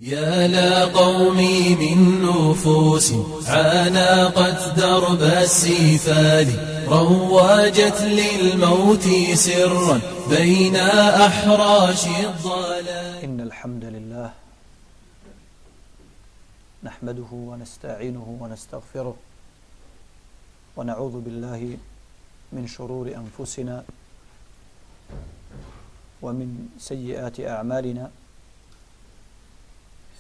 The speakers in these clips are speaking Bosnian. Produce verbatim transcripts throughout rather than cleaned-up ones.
يا لقومي من نفوس عانقت درب السفال رواجت للموت سرا بين أحراش الضلال. إن الحمد لله نحمده ونستعينه ونستغفره ونعوذ بالله من شرور أنفسنا ومن سيئات أعمالنا.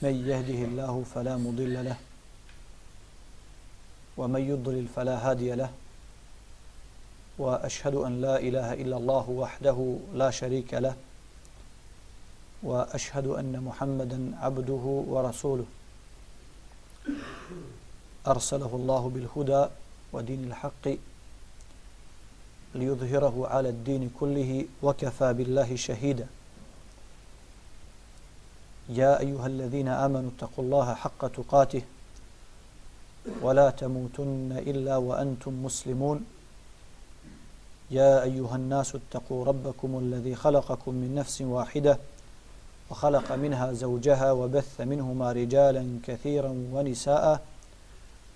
من يهده الله فلا مضل له ومن يضلل فلا هادي له وأشهد أن لا إله إلا الله وحده لا شريك له وأشهد أن محمدا عبده ورسوله أرسله الله بالهدى ودين الحق ليظهره على الدين كله وكفى بالله شهيدا. يا أيها الذين آمنوا اتقوا الله حق تقاته ولا تموتن إلا وأنتم مسلمون. يا أيها الناس اتقوا ربكم الذي خلقكم من نفس واحدة وخلق منها زوجها وبث منهما رجالا كثيرا ونساء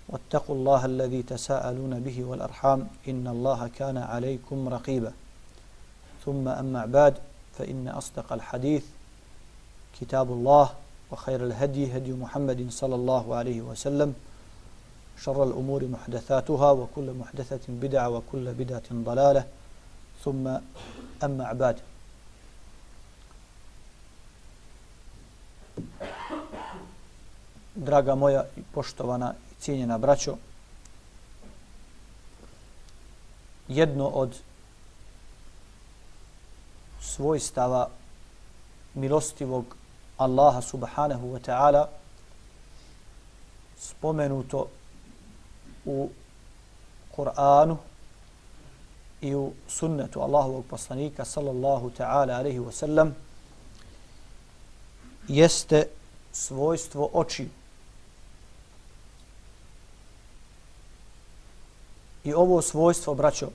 واتقوا الله الذي تساءلون به والأرحام إن الله كان عليكم رقيبا. ثم أما بعد فإن أصدق الحديث كتاب الله وخير الهدي هدي محمد صلى الله عليه وسلم شر الأمور محدثاتها وكل محدثة بدعة وكل بدعة ضلالة ثم أما بعد. Draga moja i poštovana i cijenjena braćo, jedno od svojstava milostivog Allaha subhanahu wa ta'ala spomenuto u Kur'anu i u sunnetu Allahovog poslanika sallallahu ta'ala alaihi wa sallam jeste svojstvo očiju. I ovo svojstvo, braćo,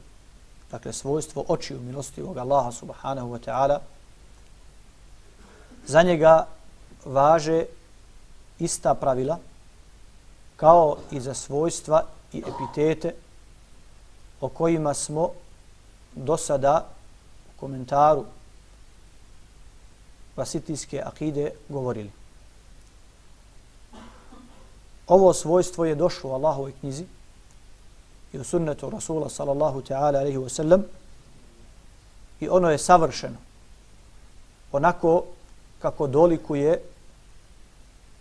dakle svojstvo očiju milostivog Allaha subhanahu wa ta'ala, za njega važe ista pravila kao i za svojstva i epitete o kojima smo do sada u komentaru vasitijske akide govorili. Ovo svojstvo je došlo u Allahovoj knjizi i u sunnetu Rasula sallallahu ta'ala alaihi wa sallam i ono je savršeno onako kako dolikuje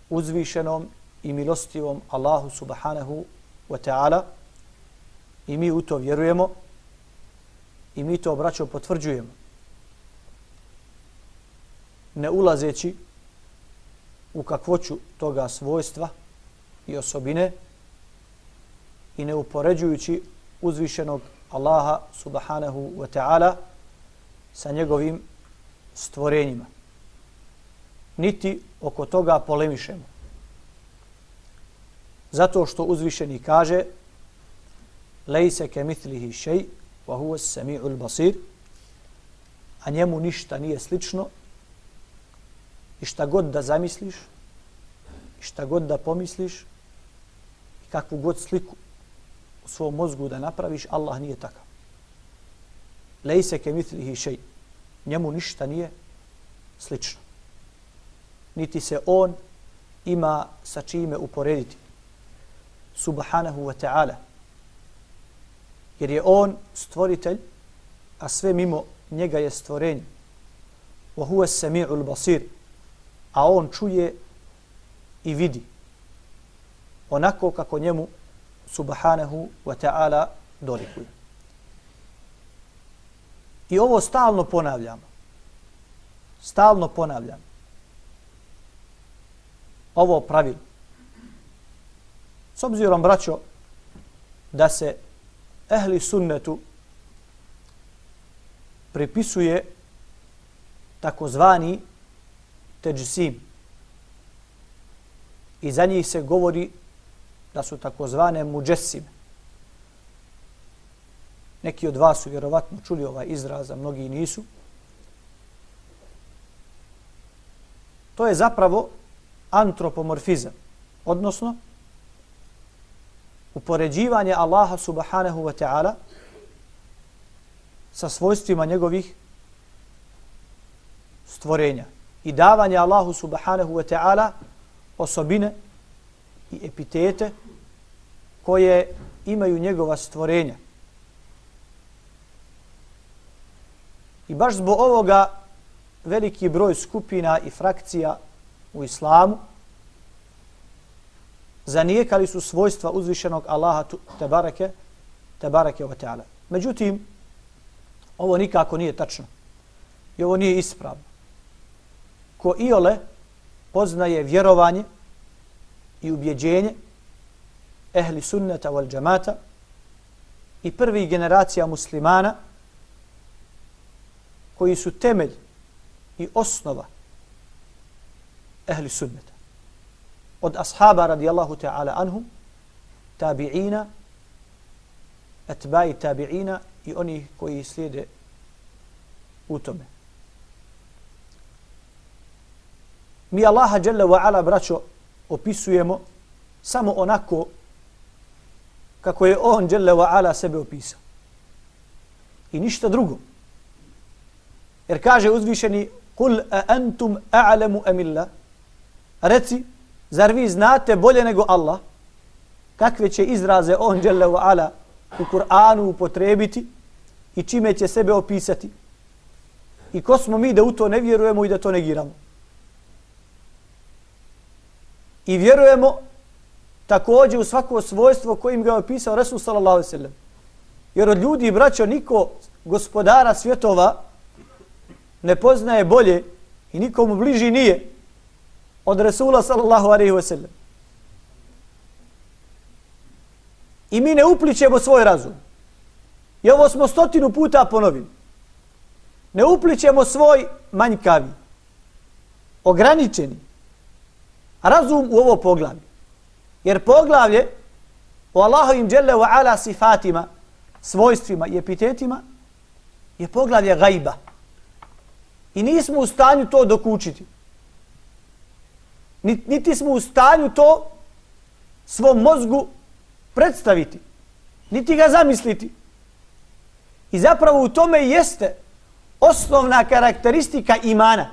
uzvišenom i milostivom Allahu subhanahu wa ta'ala, i mi u to vjerujemo i mi to, braćo, potvrđujemo, ne ulazeći u kakvoću toga svojstva i osobine i ne upoređujući uzvišenog Allaha subhanahu wa ta'ala sa njegovim stvorenjima, niti oko toga polemišemo. Zato što uzvišeni kaže lejse ke mitlihi šej wa huwa as-sami'ul basir, a njemu ništa nije slično i šta god da zamisliš i šta god da pomisliš i kakvu god sliku u svom mozgu da napraviš, Allah nije takav. Lejse ke mitlihi šej, njemu ništa nije slično, niti se on ima sa čime uporediti, subhanahu wa ta'ala, jer je on stvoritelj, a sve mimo njega je stvorenje. Wa huwa as-sami'ul basir, a on čuje i vidi onako kako njemu subhanahu wa ta'ala dolikuje. I ovo stalno ponavljamo. Stalno ponavljamo ovo pravilo. S obzirom, braćo, da se ehli sunnetu pripisuje takozvani teđsim i za njih se govori da su takozvane muđesime. Neki od vas su vjerovatno čuli ovaj izraz, a mnogi nisu. To je zapravo antropomorfizam, odnosno upoređivanje Allaha subhanahu wa ta'ala sa svojstvima njegovih stvorenja i davanje Allahu subhanahu wa ta'ala osobine i epitete koje imaju njegova stvorenja. I baš zbog ovoga veliki broj skupina i frakcija u islamu zanijekali su svojstva uzvišenog Allaha tebareke, tebareke wa ta'ala. Međutim, ovo nikako nije tačno. I ovo nije ispravno. Ko iole poznaje vjerovanje i ubjeđenje ehli sunneta wal džamata i prvih generacija muslimana koji su temelj i osnova ehli sunneta. Od ashaba radijallahu ta'ala anhum, tabi'ina, etba'i tabi'ina i oni koji slijede u tome. Mi Allaha jalla wa ala, braćo, opisujemo samo onako kako je on jalla wa ala sebe opisao. I ništa drugo. Jer kaže uzvišeni Kul a antum a'lamu amillah, reci, zar vi znate bolje nego Allah kakve će izraze on dželle ve ala u Kur'anu upotrebiti i čime će sebe opisati? I ko smo mi da u to ne vjerujemo i da to negiramo? I vjerujemo također u svako svojstvo kojim ga je opisao Resul sallallahu alejhi ve sellem. Jer od ljudi, braćo, niko gospodara svjetova ne poznaje bolje i nikomu bliži nije od Resula sallallahu alejhi ve sellem. I mi ne uplićemo svoj razum. I ovo smo stotinu puta ponovili. Ne uplićemo svoj manjkavi, ograničeni razum u ovo poglavlje. Jer poglavlje o Allahovim dželle ve ala sifatima, svojstvima i epitetima je poglavlje gajba. I nismo u stanju to dokučiti. Niti smo u stanju to svom mozgu predstaviti. Niti ga zamisliti. I zapravo u tome jeste osnovna karakteristika imana.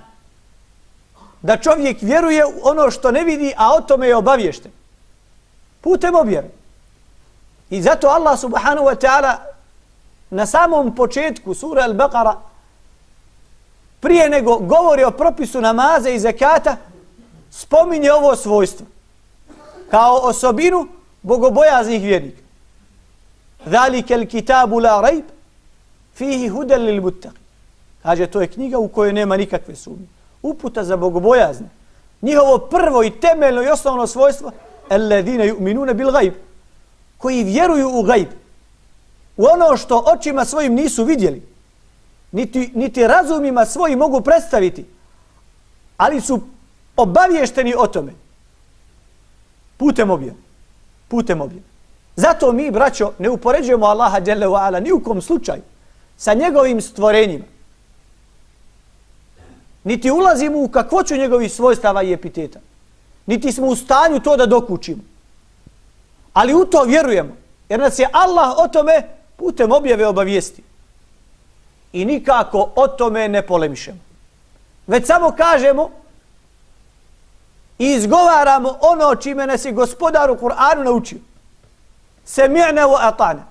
Da čovjek vjeruje u ono što ne vidi, a o tome je obaviješten. Putem objave. I zato Allah subhanahu wa ta'ala na samom početku sura Al-Baqara, prije nego govori o propisu namaza i zekata, spominje ovo svojstvo kao osobinu bogobojaznih vjernika. Zalika al-kitabu la rajb fihi hudan lil muttaqin. Kaže, to je knjiga u kojoj nema nikakve sumnje. Uputa za bogobojazne. Njihovo prvo i temeljno i osnovno svojstvo alladine yu'minuna bil gajb, koji vjeruju u gajb, u ono što očima svojim nisu vidjeli, niti, niti razumima svojim mogu predstaviti, ali su obavješteni o tome putem objave. Putem objave. Zato mi, braćo, ne upoređujemo Allaha dželle ve ala ni u kom slučaju sa njegovim stvorenjima. Niti ulazimo u kakvoću njegovih svojstava i epiteta. Niti smo u stanju to da dokučimo. Ali u to vjerujemo. Jer nas je Allah o tome putem objave obavijesti. I nikako o tome ne polemišemo. Već samo kažemo i izgovaramo ono čime nas je gospodar u Kur'anu naučio. Semi'na wa ata'na.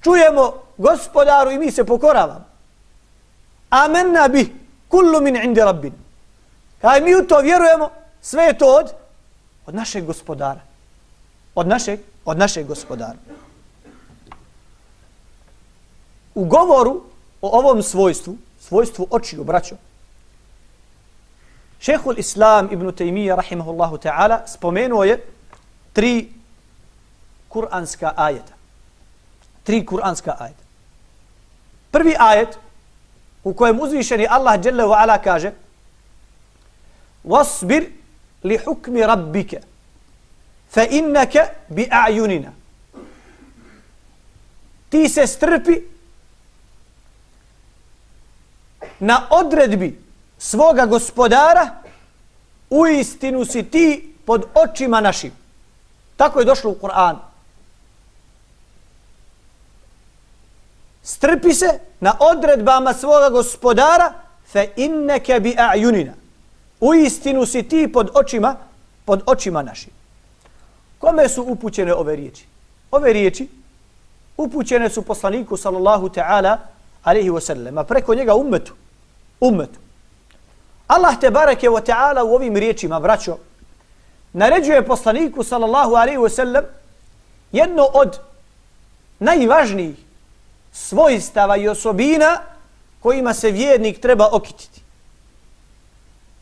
Čujemo gospodaru i mi se pokoravamo. Amanna bih kullu min indi rabbina. Kaj mi u to vjerujemo, sve je to od, od našeg gospodara. Od našeg, od našeg gospodara. U govoru o ovom svojstvu, svojstvu očiju, braćo, Šejhul Islam ibn Taymija rahimahullahu ta'ala spomenuo je tri kuranska ajeta. Tri kuranska ajeta. Prvi ajet u kojem uzvišeni Allah dželle ve ala kaže: "Wasbir li hukmi rabbika fa innaka bi a'yunina." Ti se strpi na odredbi svoga gospodara u istinu si ti pod očima našim. Tako je došlo u Kur'anu. Strpi se na odredbama svoga gospodara, fe inneke bi a'junina. U istinu si ti pod očima, pod očima našim. Kome su upućene ove riječi? Ove riječi upućene su poslaniku sallallahu ta'ala alaihi wa sallam, a preko njega ummetu. Ummetu. Allah te bareke wa ta'ala u ovim riječima, braćo, naređuje poslaniku sallallahu alaihi wa sallam jedno od najvažnijih svojstava i osobina kojima se vjernik treba okititi.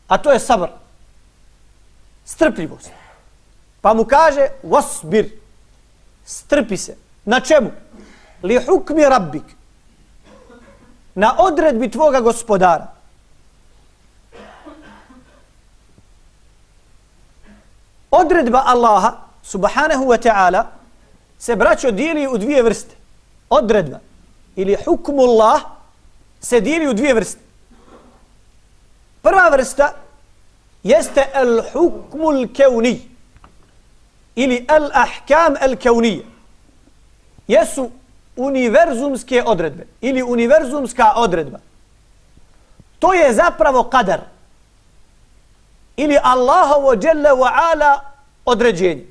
A to je sabr. Strpljivost. Pa mu kaže wasbir. Strpi se. Na čemu? Li hukmi rabbik. Na odredbi tvoga gospodara. Odredba Allaha subhanahu wa ta'ala se, braćo, dijeli u dvije vrste. Odredba ili hukmullah se dijeli u dvije vrste. Prva vrsta jeste al hukmul kevni ili al ahkam al kevnije. Jesu univerzumske odredbe ili univerzumska odredba. To je zapravo kadar ili Allahovo dželle wa ala određenje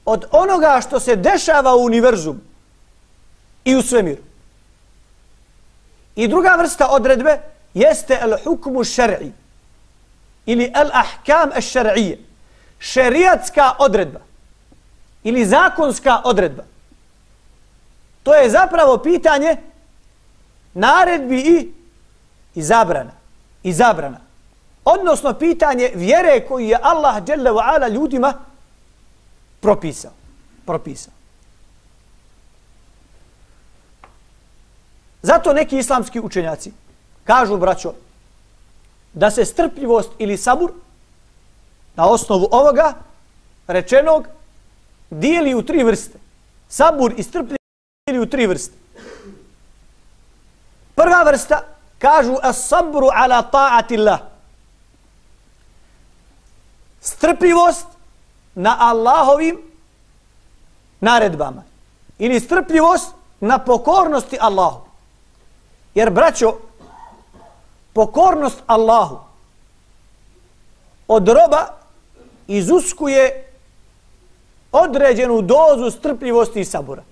od onoga što se dešava u univerzumu i u svemiru. I druga vrsta odredbe jeste al hukmu šar'i ili al ahkam al šar'ije. Šerijatska odredba ili zakonska odredba. To je zapravo pitanje naredbi i, i zabrana. I zabrana. Odnosno pitanje vjere koju je Allah dželle wa ala ljudima propisao. Propisao. Zato neki islamski učenjaci kažu, braćo, da se strpljivost ili sabur na osnovu ovoga rečenog dijeli u tri vrste. Sabur i strpljivost dijeli u tri vrste. Prva vrsta kažu as-sabru ala ta'atillah. Strpljivost na Allahovim naredbama ili strpljivost na pokornosti Allahu. Jer, braćo, pokornost Allahu od roba izuskuje određenu dozu strpljivosti i sabura.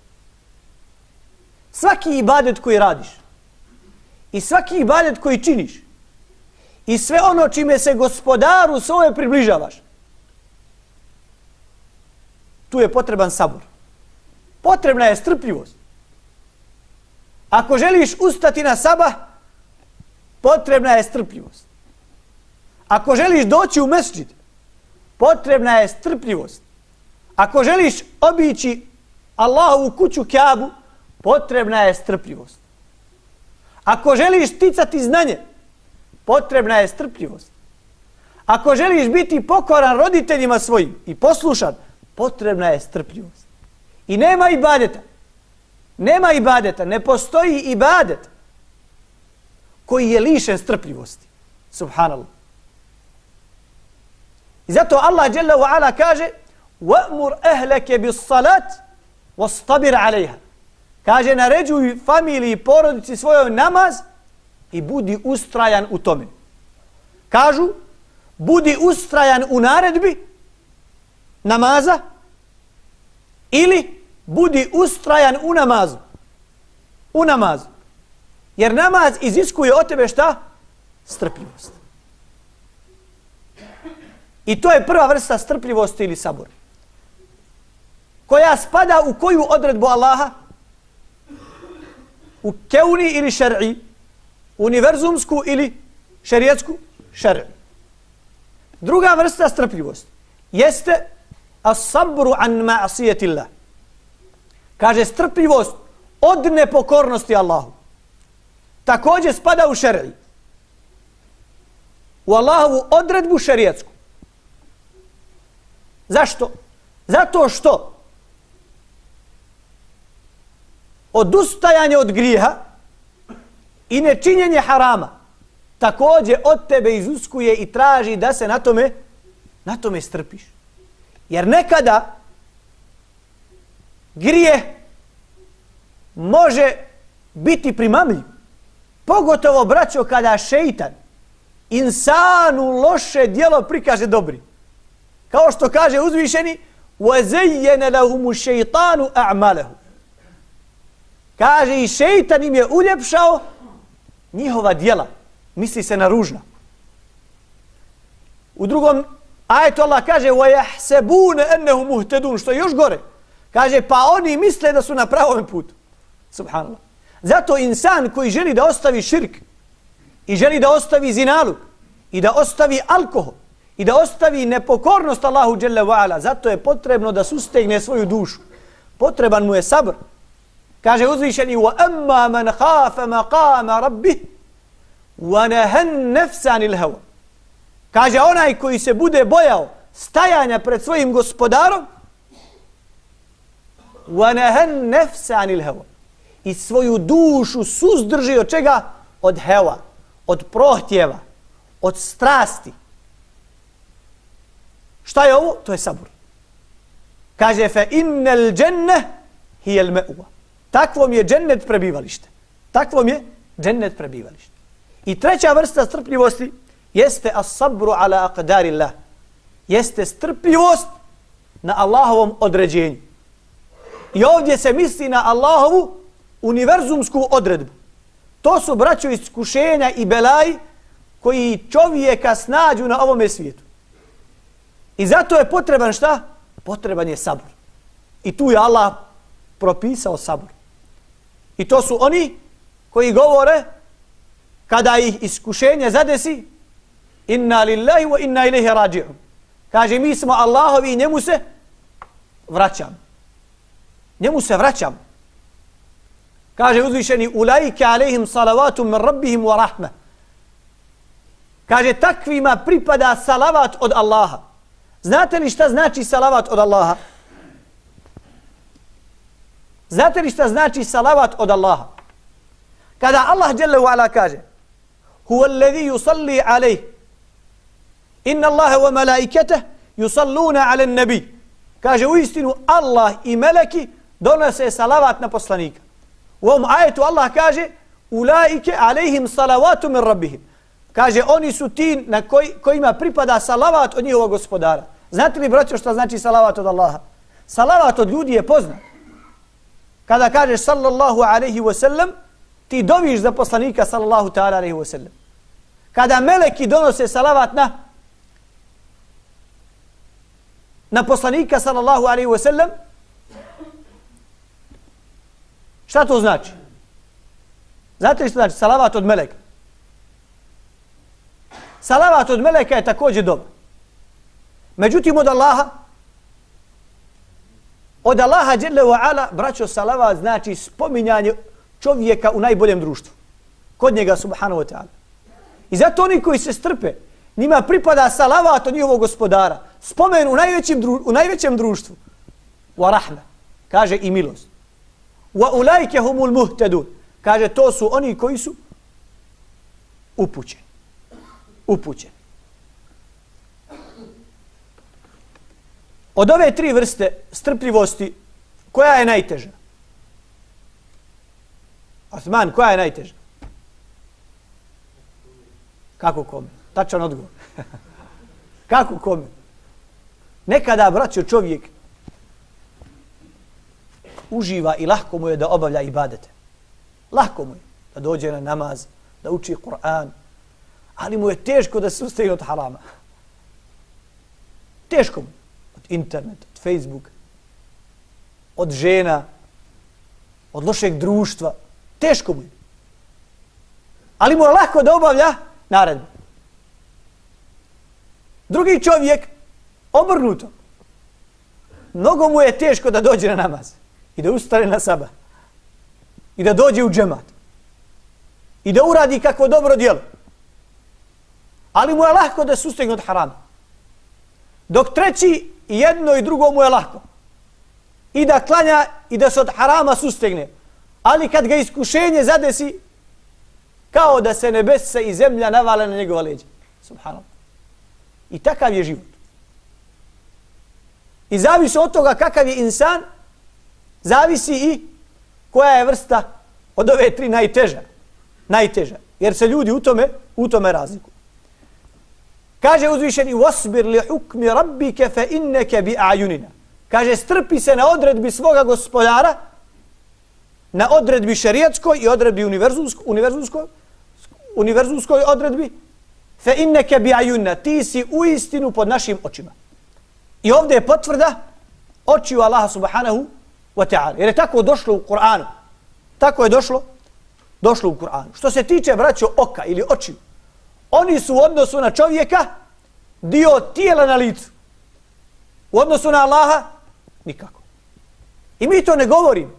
Svaki ibadet koji radiš i svaki ibadet koji činiš i sve ono čime se gospodaru svoje približavaš, tu je potreban sabur. Potrebna je strpljivost. Ako želiš ustati na sabah, potrebna je strpljivost. Ako želiš doći u mesdžid, potrebna je strpljivost. Ako želiš obići Allahovu kuću Kjabu, potrebna je strpljivost. Ako želiš sticati znanje, potrebna je strpljivost. Ako želiš biti pokoran roditeljima svojim i poslušan, potrebna je strpljivost. I nema ibadeta. Nema ibadeta, ne postoji ibadet koji je lišen strpljivosti. Subhanallah. I zato Allah dželle wa ala kaže وَأْمُرْ أَهْلَكَ بِالصَّلَاتِ وَاسْتَبِرْ عَلَيْهَا. Kaže, naređuj familiji i porodici svojoj namaz i budi ustrajan u tome. Kažu, budi ustrajan u naredbi namaza ili budi ustrajan u namazu. U namazu. Jer namaz iziskuje od tebe šta? Strpljivost. I to je prva vrsta strpljivosti ili sabora. Koja spada u koju odredbu Allaha? U keuni ili šer'i? Univerzumsku ili šerijetsku? Šer'i. Druga vrsta strpljivosti jeste as-sabru an ma'asijetillah. Kaže, strpljivost od nepokornosti Allahu. Također spada u šer'i. U Allahovu odredbu šerijetsku. Zašto? Zato što odustajanje od grijeha i nečinjenje harama također od tebe izuskuje i traži da se na tome Na tome strpiš. Jer nekada grije može biti primamljiv. Pogotovo, braćo, kada šeitan insanu loše djelo prikaže dobri. Kao što kaže uzvišeni وَزَيَّنَ لَهُمُ الشَّيْطَانُ أَعْمَالَهُ. Kaže i šeitan im je uljepšao njihova djela. Misli se na ružna. U drugom ajetu Allah kaže وَيَحْسَبُونَ أَنَّهُ مُهْتَدُونَ, što je još gore. Kaže pa oni misle da su na pravom putu. Subhanallah. Zato insan koji želi da ostavi širk i želi da ostavi zinaluk i da ostavi alkohol i da ostavi nepokornost Allahu dželle ve ala, zato je potrebno da sustegne svoju dušu. Potreban mu je sabr. Kaže uzvišeni وَأَمَّا مَنْ خَافَ مَقَامَ رَبِّهِ وَنَهَنْ نَفْسَ عَنِ الْهَوَى. Kaže onaj koji se bude bojao stajanja pred svojim gospodarom وَنَهَنْ نَفْسَ عَنِ الْهَوَى, i svoju dušu suzdrži od čega? Od heva, od prohtjeva, od strasti. Šta je ovo? To je sabur. Kaže fe innel dženne hijel me'uva. Takvom je džennet prebivalište. Takvom je džennet prebivalište. I treća vrsta strpljivosti jeste as-sabru ala aqdarillah. Jeste strpljivost na Allahovom određenju. I ovdje se misli na Allahovu univerzumsku odredbu. To su, braćo, iskušenja i belaji koji čovjeka snađu na ovome svijetu. I zato je potreban šta? Potreban je sabor. I tu je Allah propisao sabor. I to su oni koji govore kada ih iskušenje zadesi inna lillahi wa inna ilaihi rađi'un. Kaže mi smo Allahovi i njemu se vraćamo. Njemu se vraćamo. Kaže uzvišeni ulaike alejhim salavatu min rabbihim wa rahma. Kaže takvima pripada salavat od Allaha. Znate li šta znači salavat od Allaha? Znate li šta znači salavat od Allaha? Kada Allah dželle ve ala kaže huwa alladhi yusalli alayh inna Allaha wa malaikatahu yusalluna ala an-nabi. Kaže uistinu Allah i meleki donose salavat na poslanika. U ovom ajetu Allah kaže ulaike alejhim salavatu min rabbihim. Kaže oni su ti na koji, kojima pripada salavat od njihovog gospodara. Znate li, braćo, šta znači salavat od Allaha? Salavat od ljudi je poznat. Kada kažeš sallallahu alaihi wa sallam, ti doviš za poslanika sallallahu ta'ala alaihi wa sallam. Kada meleki donose salavat na na poslanika sallallahu alaihi wa sallam, šta to znači? Znate li što znači? Salavat od meleka. Salavat od meleka je također dobar. Međutim, od Allaha, od Allaha dželle ve ala, braćo, salavat znači spominjanje čovjeka u najboljem društvu. Kod njega, subhanahu wa ta'ala. I zato oni koji se strpe, njima pripada salavat od njihovog gospodara. Spomen u najvećem, dru, u najvećem društvu. Wa rahma. Kaže i milost. Wa ulaike humul muhtadun. Kaže to su oni koji su upućeni. Upućeni. Od ove tri vrste strpljivosti, koja je najteža? Osman, koja je najteža? Kako kome? Tačan odgovor. Kako kome? Nekada, braćo, čovjek uživa i lahko mu je da obavlja ibadete. Lahko mu je da dođe na namaz, da uči Kur'an, ali mu je teško da se ustaje od harama. Teško mu. Od interneta, od Facebooka, od žena, od lošeg društva. Teško mu je. Ali mu je lako da obavlja naredbu. Drugi čovjek, obrnuto. Mnogo mu je teško da dođe na namaz i da ustane na sabah i da dođe u džemat i da uradi kakvo dobro djelo. Ali mu je lako da sustegne od harama. Dok treći, jedno i drugo mu je lako. I da klanja i da se od harama sustegne. Ali kad ga iskušenje zadesi, kao da se nebesa i zemlja navale na njegova leđa. Subhanallah. I takav je život. I zavisi od toga kakav je insan, zavisi i koja je vrsta od ove tri najteža. Najteža. Jer se ljudi u tome, u tome razlikuju. Kaže uzvišeni wasbir li hukmi rabbike fe inneke bi a'yunina. Kaže strpi se na odredbi svoga gospodara, na odredbi šerijatskoj i odredbi univerzumskoj, univerzumskoj, univerzumskoj odredbi, fe inneke bi a'yunina. Ti si u istinu pod našim očima. I ovdje je potvrda očiju Allaha subhanahu wa ta'ala. Jer je tako došlo u Kur'anu. Tako je došlo, došlo u Kur'anu. Što se tiče, braćo, oka ili očiju, oni su u odnosu na čovjeka dio tijela na licu. U odnosu na Allaha nikako. I mi to ne govorimo.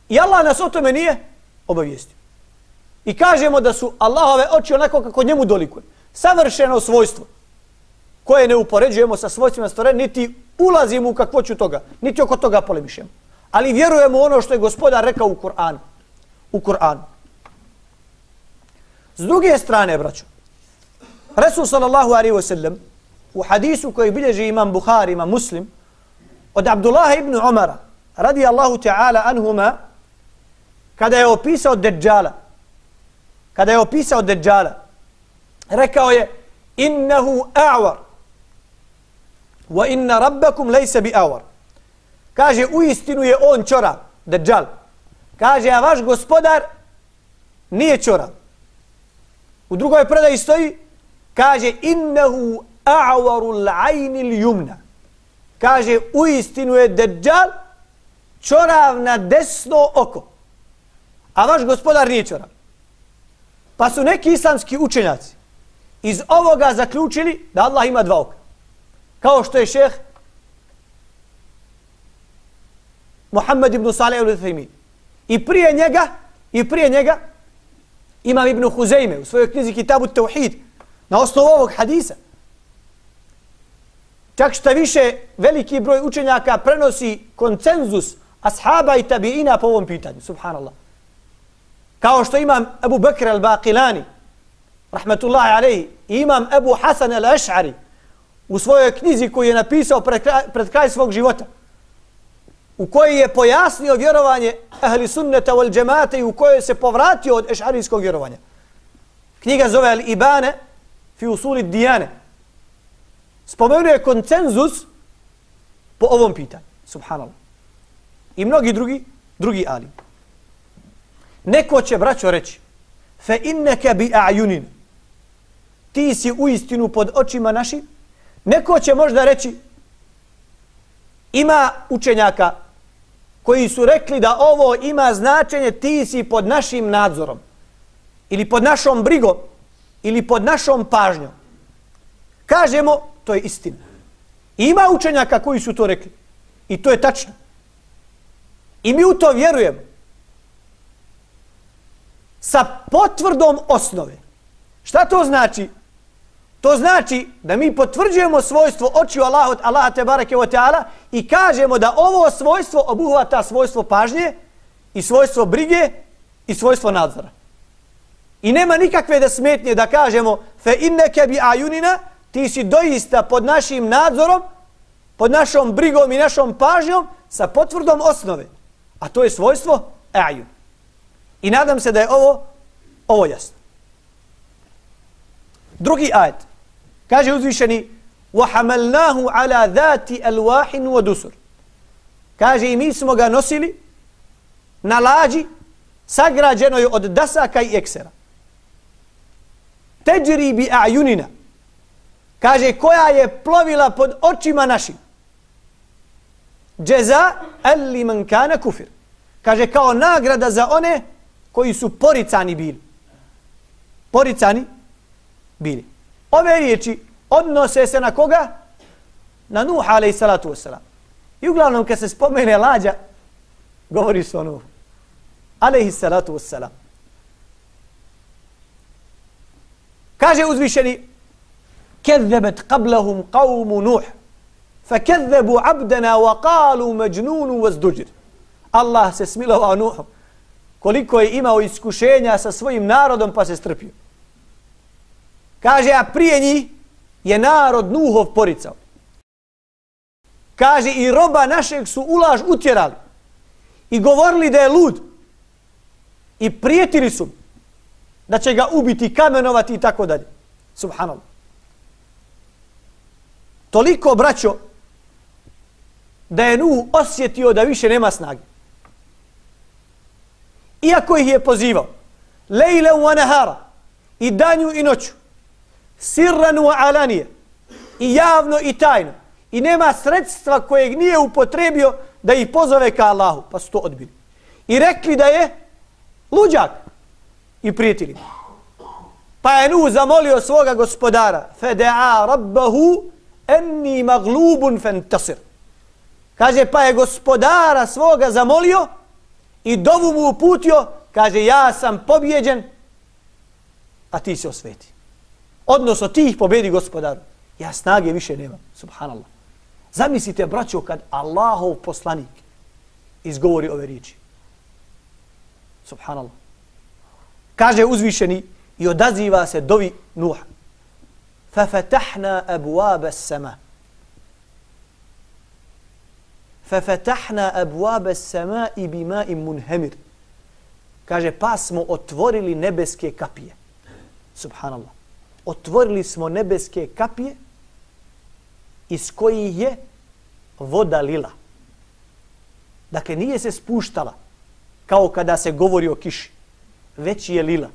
I Allah nas o tome nije obavijestio. I kažemo da su Allahove oči onako kako njemu dolikuje. Savršeno svojstvo koje ne upoređujemo sa svojstvima stvorenja, niti ulazimo u kakvoću toga, niti oko toga polemišemo. Ali vjerujemo ono što je Gospodar rekao u Kur'anu. U Kur'anu. S druge strane, braćo, Resul sallallahu alaihi wa sallam u hadisu koji bilježi imam Buhari, imam Muslim, od Abdullaha ibn Umara, radijallahu ta'ala anhuma, kada je opisao Dejjala, kada je opisao Dejjala, rekao je innahu a'war wa inna rabbakum laysa bi a'war. Kaže, u istinu je on ćorav, Dejjal. Kaže, a vaš gospodar nije ćorav. U drugoj predaji stoji, kaže, innahu a'waru l'ajni l'jumna. Kaže, u istinu je Dejjal ćorav na desno oko. A vaš gospodar nije ćorav. Pa su neki islamski učenjaci iz ovoga zaključili da Allah ima dva oka. Kao što je šejh Muhammed ibn Salih al-Uthaymin. I prije njega, i prije njega imam Ibn Huzeyme u svojoj knjizi Kitabu Tauhid na osnovu ovog hadisa. Čak šta više veliki broj učenjaka prenosi konsenzus ashaba i tabiina po ovom pitanju. Subhanallah. Kao što imam Abu Bakr al-Baqilani, rahmetullahi alejhi, i imam Abu Hasan al-Ash'ari u svojoj knjizi koju je napisao pred kraj, pred kraj svog života, u kojoj je pojasnio vjerovanje ahli sunneta wal džemata i u kojoj se povratio od ešarijskog vjerovanja. Knjiga zove Al-Ibane fi usuli dijane. Spomenuo je konsenzus po ovom pitanju. Subhanallah. I mnogi drugi, drugi ali. Neko će, braćo, reći fe inneke bi a'junin. Ti si u istinu pod očima našim. Neko će možda reći, ima učenjaka koji su rekli da ovo ima značenje ti si pod našim nadzorom ili pod našom brigom ili pod našom pažnjom. Kažemo, to je istina. Ima učenjaka koji su to rekli i to je tačno. I mi u to vjerujemo. Sa potvrdom osnove. Šta to znači? To znači da mi potvrđujemo svojstvo očiju Allaha, Allaha tebareke ve taala i kažemo da ovo svojstvo obuhvata svojstvo pažnje i svojstvo brige i svojstvo nadzora. I nema nikakve da smetnje da kažemo fe inneke bi ajunina, ti si doista pod našim nadzorom, pod našom brigom i našom pažnjom sa potvrdom osnove. A to je svojstvo ajun. I nadam se da je ovo, ovo jasno. Drugi ajet. Kaže uzvišeni وَحَمَلْنَاهُ عَلَى ذَاتِ أَلْوَاحٍ وَدُسُرٍ. Kaže i mi smo ga nosili na lađi sagrađenoj od dasaka i eksera. Teđri bi a'junina. Kaže koja je plovila pod očima našim. Džeza ali man kana kufir. Kaže kao nagrada za one koji su poricani bili. Poricani bili. Ove riječi odnose se na koga? Na Nuh alejhi salatu vesselam. I uglavnom kad se spomene lađa, govori se o Nuhu alejhi salatu vesselam. Kaže uzvišeni كذبت قبلهم قوم نوح فكذبوا عبدنا وقالوا مجنون وازدجر. Allah se smilovao Nuhu koliko je imao iskušenja sa svojim narodom pa se strpio. Kaže, a prije njih je narod Nuhov poricao. Kaže, i roba našeg su u laž utjerali. I govorili da je lud. I prijetili su da će ga ubiti, kamenovati i tako dalje. Subhanallah. Toliko, braćo, da je Nuh osjetio da više nema snage. Iako ih je pozivao, lejle wa nahara, i danju i noću, sirran wa alanije, i javno i tajno, i nema sredstva kojeg nije upotrebio da ih pozove ka Allahu, pa su to odbili. I rekli da je luđak i prijetili. Pa je Nuh zamolio svoga gospodara, feda'a rabbahu enni maglubun fantasir. Kaže, pa je gospodara svoga zamolio i dovu mu uputio, kaže, ja sam pobjeđen, a ti se osveti. Odnosno, ti ih pobjedi, gospodaru. Ja snage više nemam. Subhanallah. Zamislite, braćo, kad Allahov poslanik izgovori ove riječi. Subhanallah. Kaže uzvišeni i odaziva se dovi Nuha. فَفَتَحْنَا أَبْوَابَ السَّمَاءِ فَفَتَحْنَا أَبْوَابَ السَّمَاءِ بِمَاءٍ مُنْهَمِرٍ. Kaže, pa smo otvorili nebeske kapije. Subhanallah. Otvorili smo nebeske kapije iz kojih je voda lila. Dakle, nije se spuštala kao kada se govori o kiši, već je lila.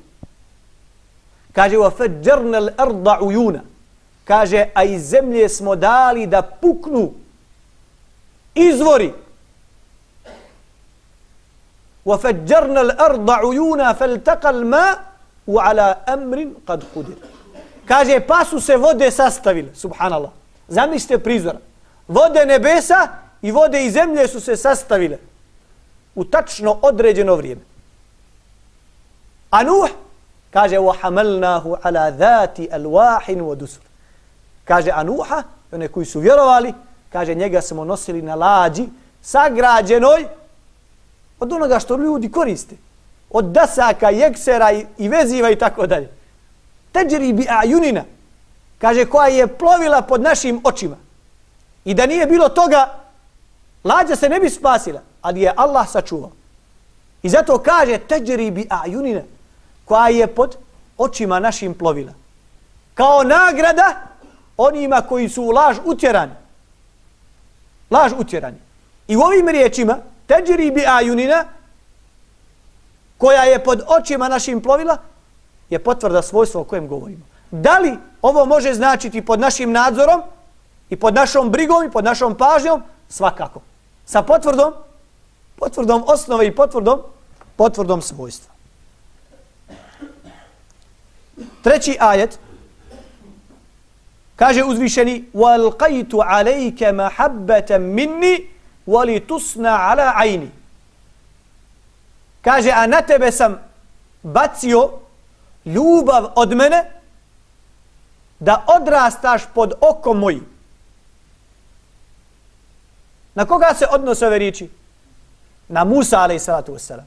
Kaže, وَفَجَّرْنَا الْأَرْضَ عُيُونَ. Kaže, a iz zemlje smo dali da puknu izvori. وَفَجَّرْنَا الْأَرْضَ عُيُونَ فَالْتَقَى الْمَاءُ عَلَى أَمْرٍ قَدْ قُدِرٍ. Kaže, pa su se vode sastavile. Subhanallah. Zamislite prizora. Vode nebesa i vode iz zemlje su se sastavile u tačno određeno vrijeme. A Nuh kaže, وَحَمَلْنَاهُ عَلَى ذَاتِ أَلْوَاحٍ وَدُسُرٍ. Kaže, a Nuha, one koji su vjerovali, kaže, njega smo nosili na lađi sagrađenoj od onoga što ljudi koriste. Od dasaka, jeksera i, i veziva i tako dalje. Teđri bi ajunina. Kaže, koja je plovila pod našim očima. I da nije bilo toga, lađa se ne bi spasila, ali je Allah sačuvao. I zato kaže, teđri bi ajunina, koja je pod očima našim plovila. Kao nagrada onima koji su u laž utjerani. Laž utjerani. I u ovim riječima, teđri bi ajunina, koja je pod očima našim plovila, je potvrda svojstva o kojem govorimo. Da li ovo može značiti pod našim nadzorom i pod našom brigom i pod našom pažnjom? Svakako. Sa potvrdom, potvrdom osnove i potvrdom, potvrdom svojstva. Treći ajet kaže uzvišeni وَالْقَيْتُ عَلَيْكَ مَحَبَّةً مِنِّي وَلِتُسْنَ عَلَى عَيْنِ. Kaže, a na tebe sam bacio ljubav od mene da odrastaš pod okom mojim. Na koga se odnose ove riječi? Na Musa alaih salatu wasalam.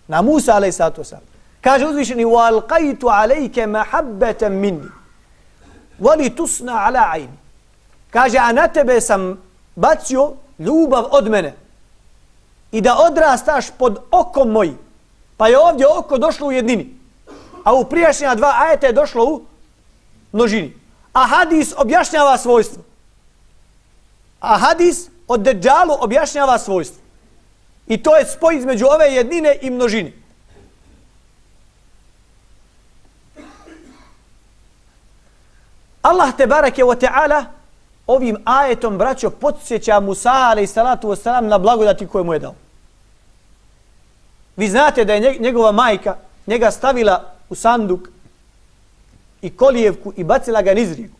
Na Musa alaih salatu wasalam. Kaže uzvišeni وَالْقَيْتُ عَلَيْكَ مَحَبَّةً مِنِّي وَلِتُسْنَ عَلَى عَيْنِ. Kaže, a na tebe sam bacio ljubav od mene i da odrastaš pod okom mojim. Pa je ovdje oko došlo u jednini, a u prijašnja dva ajeta je došlo u množini. A hadis objašnjava svojstvo. A hadis od Deđalu objašnjava svojstvo. I to je spoj između ove jednine i množine. Allah te barake wa ta'ala ovim ajetom, braćo, podsjeća Musa alaih salatu wasalam na blagodati koje mu je dao. Vi znate da je njegova majka njega stavila u sanduk i kolijevku i bacila ga niz rijeku.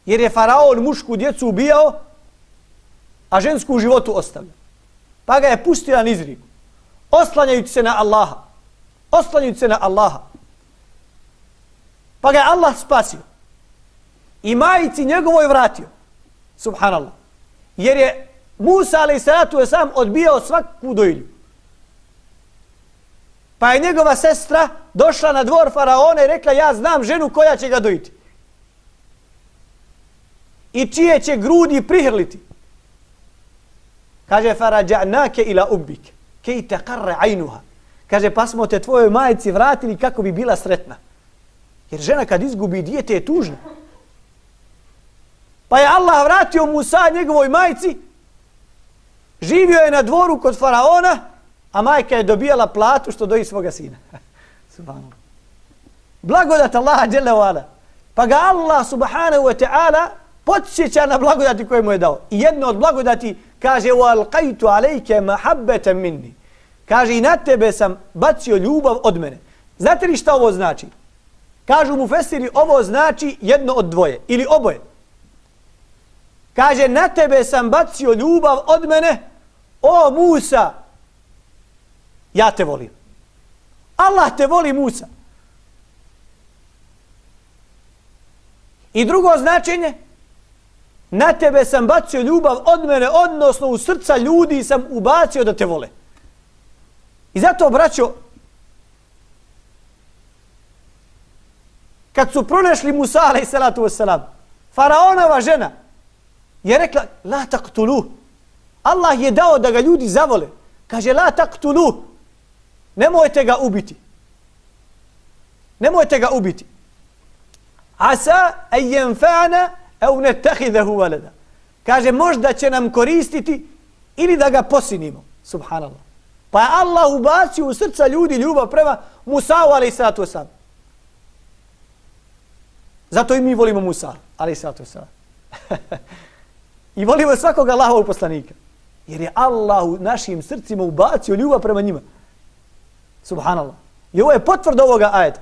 Jer je faraon mušku djecu ubijao, a žensku u životu ostavlja. Pa ga je pustila niz rijeku. Oslanjajući se na Allaha. Oslanjajući se na Allaha. Pa ga je Allah spasio. I majici njegovoj vratio. Subhanallah. Jer je Musa alaih salatu wasalam odbijao svaku dojilju. Pa je njegova sestra došla na dvor faraona i rekla, ja znam ženu koja će ga dojiti. I čije će grudi prihrliti. Kaže, farađa'nake ila ubbike, kej te karre ajnuha. Kaže, pa smo te tvojoj majici vratili kako bi bila sretna. Jer žena kad izgubi dijete je tužna. Pa je Allah vratio Musa njegovoj majici, živio je na dvoru kod faraona, a majka je dobijala platu što doji svoga sina. Subhanallah. Blagodat Allaha dželle ve ala. Pa ga Allah subhanahu wa ta'ala podsjeća na blagodati koje mu je dao. I jedno od blagodati kaže وَالْقَيْتُ عَلَيْكَ مَحَبَّةً مِنِّي. Kaže i na tebe sam bacio ljubav od mene. Znate li šta ovo znači? Kažu mu fesiri, ovo znači jedno od dvoje ili oboje. Kaže, na tebe sam bacio ljubav od mene, o Musa, ja te volim. Allah te voli, Musa. I drugo značenje, na tebe sam bacio ljubav od mene, odnosno u srca ljudi sam ubacio da te vole. I zato, braćo, kad su pronašli Musa, alaih salatu wassalam, faraonova žena je rekla, la taktulu. Allah je dao da ga ljudi zavole. Kaže, la taktulu. Nemojte ga ubiti. Nemojte ga ubiti. Asa en jenfa'na au nettahidahu walada. Kaže, možda će nam koristiti ili da ga posinimo. Subhanallah. Pa je Allah ubacio u srca ljudi ljubav prema Musa'u, alaih salatu wassalam. Zato i mi volimo Musa, alaih salatu wassalam. I volimo svakog Allahovog poslanika. Jer je Allah u našim srcima ubacio ljubav prema njima. Subhanallah. I ovo je potvrda ovoga ajeta.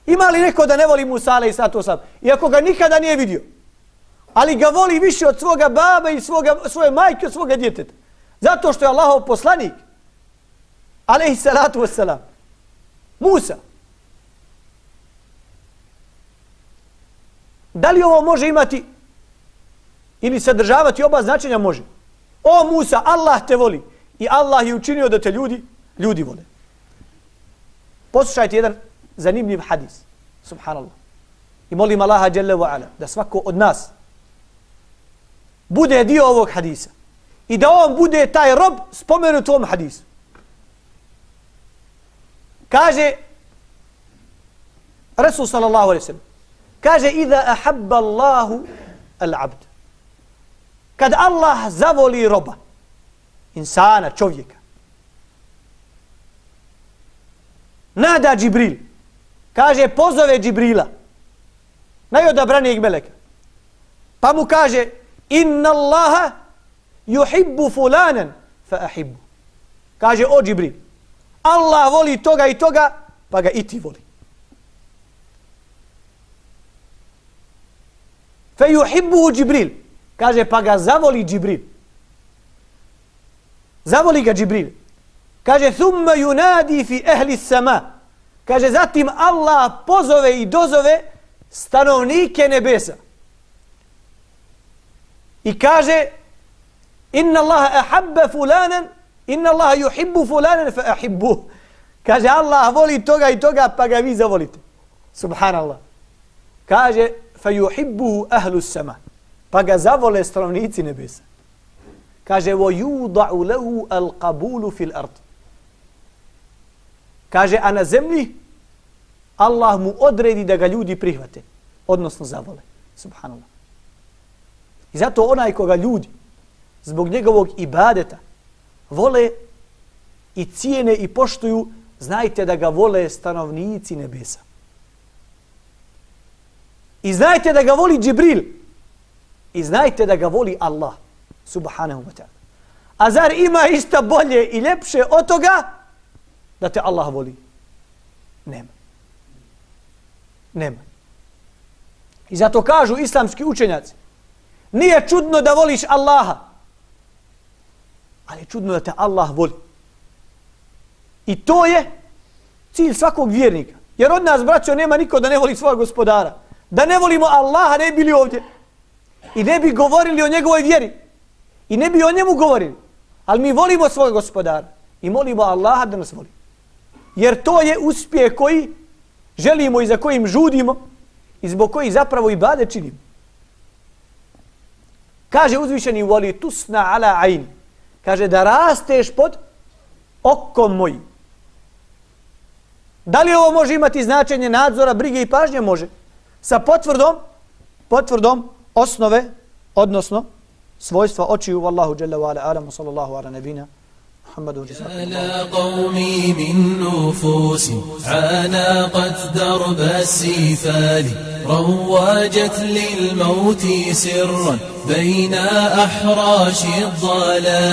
Ima li neko da ne voli Musa, alaih sallatu wasalam, iako ga nikada nije vidio, ali ga voli više od svoga baba i svoga, svoje majke, od svoga djeteta? Zato što je Allahov poslanik, alaih sallatu wasalam. Musa. Da li ovo može imati ili sadržavati oba značenja? Može. O Musa, Allah te voli i Allah je učinio da te ljudi, ljudi vole. Poslušajte jedan zanimljiv hadis. Subhanallah. I molim Allaha dželle ve ala da svako od nas bude dio ovog hadisa i da on bude taj rob spomenut u ovom hadisu. Kaže Rasul sallallahu alejhi ve sellem, kaže iza ahabba Allahu al-abd. Kad Allah zavoli roba, insana, čovjeka, nada Džibril, kaže pozove Džibrila, najodabranijeg meleka, pa mu kaže inna Allaha yuhibbu fulanan fa ahibbu. Kaže o Džibril, Allah voli toga i toga, pa ga i ti voli. Fa yuhibbuhu Džibril. Kaže, pa ga zavoli Džibril. Zavoli ga Džibril. Kaže, thumma yunadi fi ehli sama. Kaže, zatim Allah pozove i dozove stanovnike nebesa. I kaže, inna Allaha ahabba fulanan, inna Allaha yuhibbu fulanan fa ahibbuh. Kaže, Allah voli toga i toga, pa ga vi zavolite. Subhanallah. Kaže, fa yuhibbuhu ahlu sama. Pa ga zavole stanovnici nebesa. Kaže, vo yuda'u lehu al qabulu fil ard. Kaže, a na zemlji Allah mu odredi da ga ljudi prihvate, odnosno zavole. Subhanallah. I zato onaj koga ljudi zbog njegovog ibadeta vole i cijene i poštuju, znajte da ga vole stanovnici nebesa. I znajte da ga voli Džibril. I znajte da ga voli Allah. Subhanahu wa ta'ala. A zar ima išta bolje i ljepše od toga da te Allah voli? Nema. Nema. I zato kažu islamski učenjaci, nije čudno da voliš Allaha, ali je čudno da te Allah voli. I to je cilj svakog vjernika. Jer od nas, braćo, nema niko da ne voli svog gospodara. Da ne volimo Allaha, ne bili ovdje. I ne bi govorili o njegovoj vjeri. I ne bi o njemu govorili. Ali mi volimo svog gospodara. I molimo Allaha da nas voli. Jer to je uspjeh koji želimo i za kojim žudimo i zbog koji zapravo ibadet činimo. Kaže uzvišeni, voli tusna ala ajni. kaže da rasteš pod okom mojim. Da li ovo može imati značenje nadzora, brige i pažnje? Može. Sa potvrdom, potvrdom osnove, odnosno svojstva očiju. Wallahu jalla wa ala alamu sallallahu ala nebina Muhammadu. على قومي من نفوس عانقت درب السفال رواجت للموت سرا بين أحراش الضلال